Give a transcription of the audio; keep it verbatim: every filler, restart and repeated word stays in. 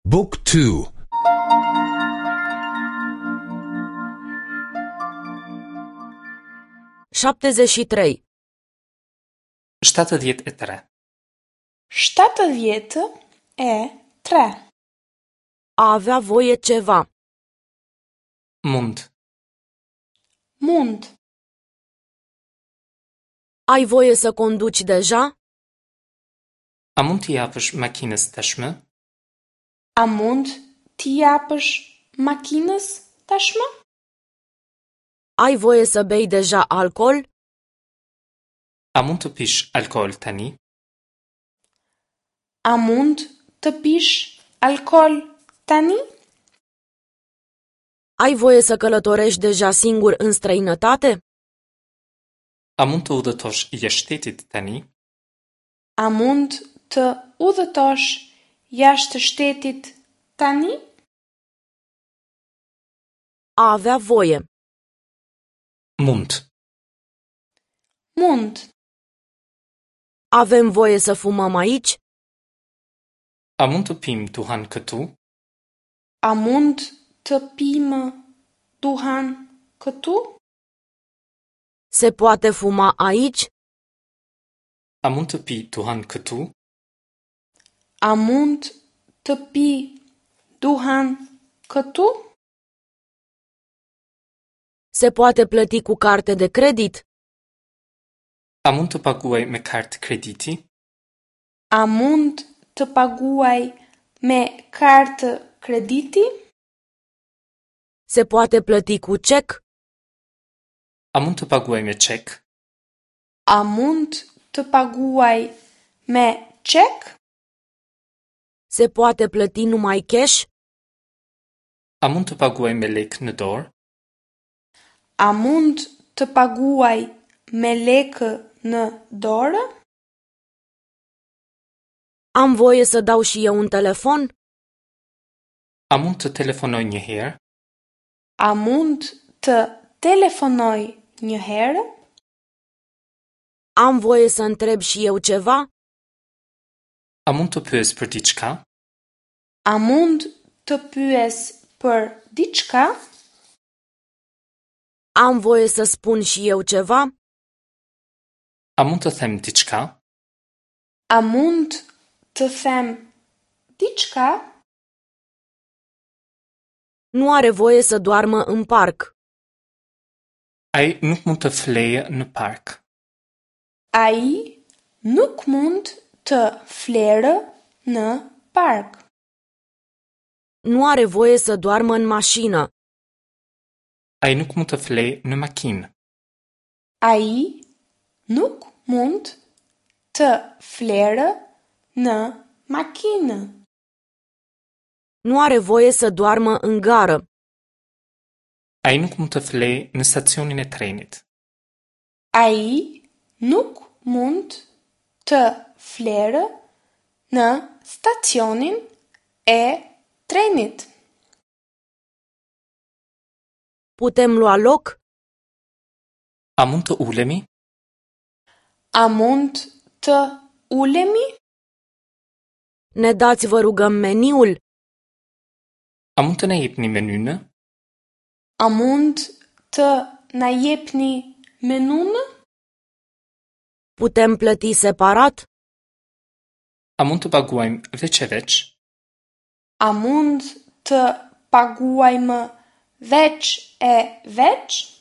Book two. Șaptezeci și trei. Shtatëdhjetë e tre. Shtatëdhjetë e tre. A avea voie ceva. Mund. Mund. Ai voie să conduci deja? A mund t'i japësh makinës tashmë? A mund t'i japësh makinës tashmë? Ai voie să bei deja alcool? A mund të pish alkool tani? A mund të pish alkool tani? Ai voie să călătorești deja singur în străinătate? A mund të udhëtosh jashtë shtetit tani? A mund të udhëtosh jashtë shtetit tani? A avea voie. Mund. Mund. Avem voie să fumăm aici? A mund të pimë duhan këtu? A mund të pimë duhan këtu? Se poate fuma aici? A mund të pi duhan këtu? A mund të pi duhan këtu? Se poate plăti cu carte de credit? A mund të paguaj me kartë krediti? A mund të paguaj me kartë krediti? Se poate plăti cu cec? A mund të paguaj me çek? A mund të paguaj me çek? Se poate plăti numai cash? A mund të paguaj me lekë në dorë? A mund të paguaj me lekë në dorë? Am voie să dau și eu un telefon? A mund të telefonoj një herë? A mund të telefonoj një herë? Am voie să întreb și eu ceva? A mund të pyes për diçka? A mund të pyes për diçka? Am voie să spun și eu ceva? A mund të them diçka? A mund të them diçka? Nu are voie să doarmă în parc. Ai nuk mund të flejë në park. Ai nuk mund të flerë në park. Nu are voie să doarmă în mașină. Ai nuk mund të flejë në makinë. Ai nuk mund të flerë në makinë. Nu are voie să doarmă în gară. Ai nuk mund të flejë në stacionin e trenit. Ai nuk mund të flerë në stacionin e trenit. Putem lua loc? A mund të ulemi? A mund të ulemi? Ne dați, vă rugăm, meniul? A mund të na jepni menynë? A mund të na jepni menunë? Putem plăti separat? A mund të paguajmë veç e veç? A mund të paguajmë veç e veç?